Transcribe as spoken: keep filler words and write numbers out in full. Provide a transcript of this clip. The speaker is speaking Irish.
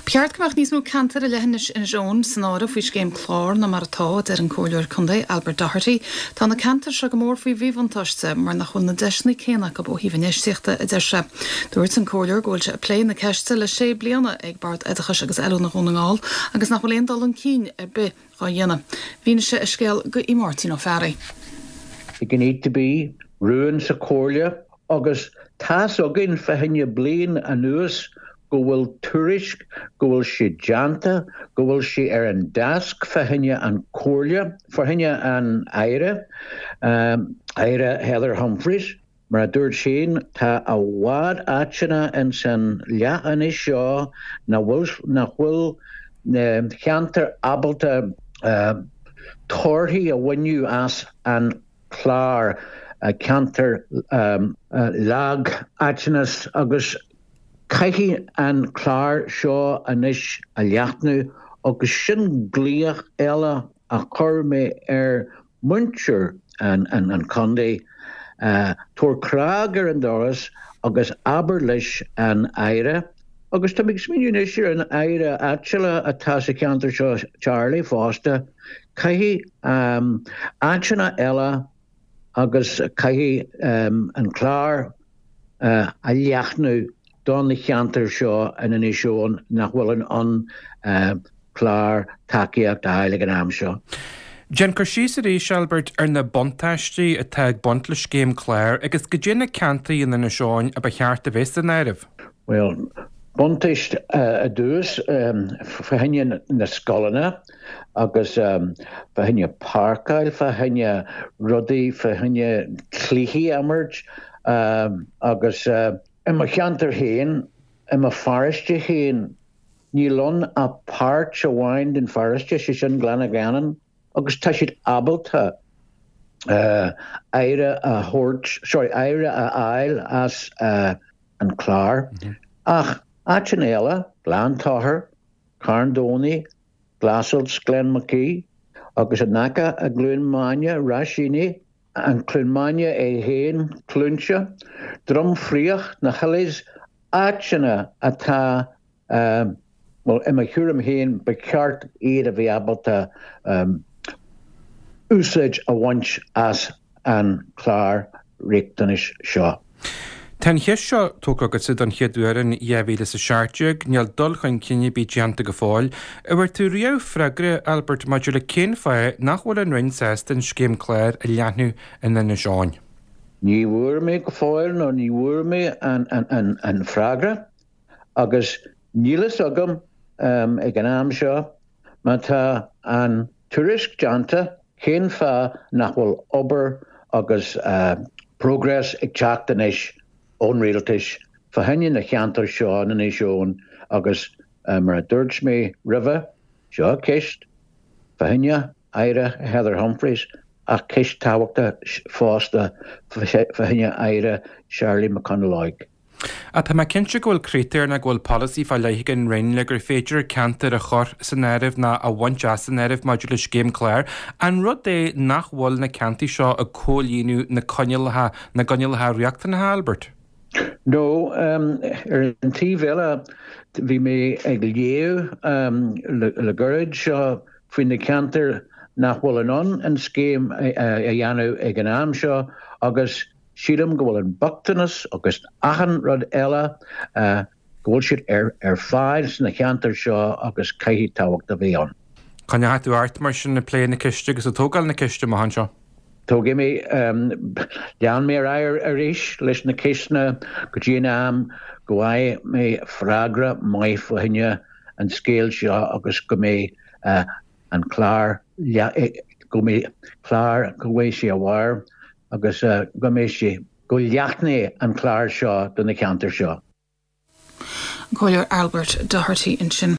Ba cheart go mbeadh níos mó ceantar i leithinis Inis Eoghain san áireamh faoi scéim clár ná mar atá deir an Comhairleoir Contae Albert Doherty. Tá na ceantair seo go mór faoi mhíbhuntáiste mar nach bhfuil na deiseanna céanna acu ó thaobh infheistíochta a deir sé. Dúirt an comhairleoir go bhfuil sé ag plé na ceiste le sé bliana ag Bord Oideachais agus Oiliúna Dhún na nGall agus nach bhfuil aon dul chun cinn ar bith á dhéanamh. Mhínigh sé a scéal go Máirtín Ó Fearraigh. It need to be rún sa chomhairle agus tá's againn fá choinne bliain anuas go bhfuil tuairisc go bhfuil sé déanta go bhfuil sé ar an deasc fá choinne an chomhairle fá choinne an Aire um, Aire Heather Humphreys mar a dúirt sin tá i bhfad áiteanna in san leathinis seo na nach bhfuil na ceantar ábalta uh, torthaí a bhaint as an chlár uh, ceantar um, uh, lag áiteanna agus caithfidh an clár seo anois a leathnú agus sin glaoch eile a chur mé ar muintir an, an, an contae uh, tabhair cnag ar an doras agus abair leis an Aire. agus tá ag smaoineamh ar an Aire áitiúla atá sa cheantar seo Charlie fosta, caithfidh um, áiteanna eile agus caithfidh um, an clár uh, a leathnú don na ceantar seo in Inis Eoghain nach bhfuil an an uh, clár tacaíocht a ag an am seo. Déan cur síos arís Albert ar na buntáistí atá ag baint le scéim clár agus goidé na ceantair in Inis Eoghain a ba cheart a bheith san áireamh. Well, buntáiste uh, a dús um, fá choinne na scoileanna agus um, fá choinne páirceáil fá choinne rudaí fá choinne cluichí a imirt um, agus uh, i mo cheantar féin i mo pharóiste féin níl ann ach páirt amháin den pharóiste sé sin Gleann Gheanann agus tá siad ábalta uh, aire a thabhairt sorry aire a fháil as uh, an clár mm -hmm. ach áiteanna eile Gleann Tochair Carn Domhnach Glassels Glenmackie agus an nacha a Cluain Maine Raisíní an Cluain Maine é féin Cluainte, Droim Frioch na Hillies áiteanna atá um, well i mo thuairim féin ba cheart iad a bheith ábalta um, úsáid a bhaint as an clár riachtanais seo. Tá an cheist seo tógtha agatsa don chéad uair in dhá mhíle is a seacht déag, níl dul chun cinn ar bith déanta go fóill, an bhfuair tú riamh freagra Albert maidir le cén fáth nach bhfuil an Roinn sásta an scéim clár a leathnú in Inis Eoghain. Ní bhfuair mé go fóill nó ní bhfuair mé an, an, an, an freagra agus níl a fhios agam um, ag an am seo má tá an tuairisc déanta cén fáth nach bhfuil obair agus uh, progress ag teacht anois ón rialtas fá choinne na ceantar seo in Inis Eoghain agus uh, mar a dúirt mé roimhe seo ceist fá choinne Aire Heather Humphreys ach ceist tábhachtach fosta fá choinne Aire Charlie McConalogue. A tá mé cinnte go bhfuil critéir ná go bhfuil polasaí fá leith ag an Roinn le gur féidir ceantar a chur san áireamh ná a bhaint as an áireamh maidir le scéim clár, an rud é nach bhfuil na ceantair seo ag comhlíonadh na coinníollacha na gcoinníollacha riachtanacha Albert. No um, ar an taobh eile bhí mé ag léamh um, le, le gairid seo faoi na ceantar nach bhfuil in ann an scéim a, a, a dhéanamh ag an am seo agus sílim go bhfuil an bochtanas agus achan rud eile uh, go bhfuil siad ar, ar fáil sna ceantar seo agus caithfidh tábhacht a bheith ann. Coinneoidh tú ort mar sin ag plé na ceiste agus ag tógáil na ceiste amach anseo. Tógfaidh mé um, lean mé ar arís leis na ceisteanna go dtí an am go bhfaighidh mé freagra maith fá choinne an scéal seo agus go mbeidh uh, an clár go mbeidh clár go bhfuil sé a bharr agus uh, go mbeidh sé go leathnóidh an clár seo do na ceantar seo. Comhairleoir Albert Doherty ansin.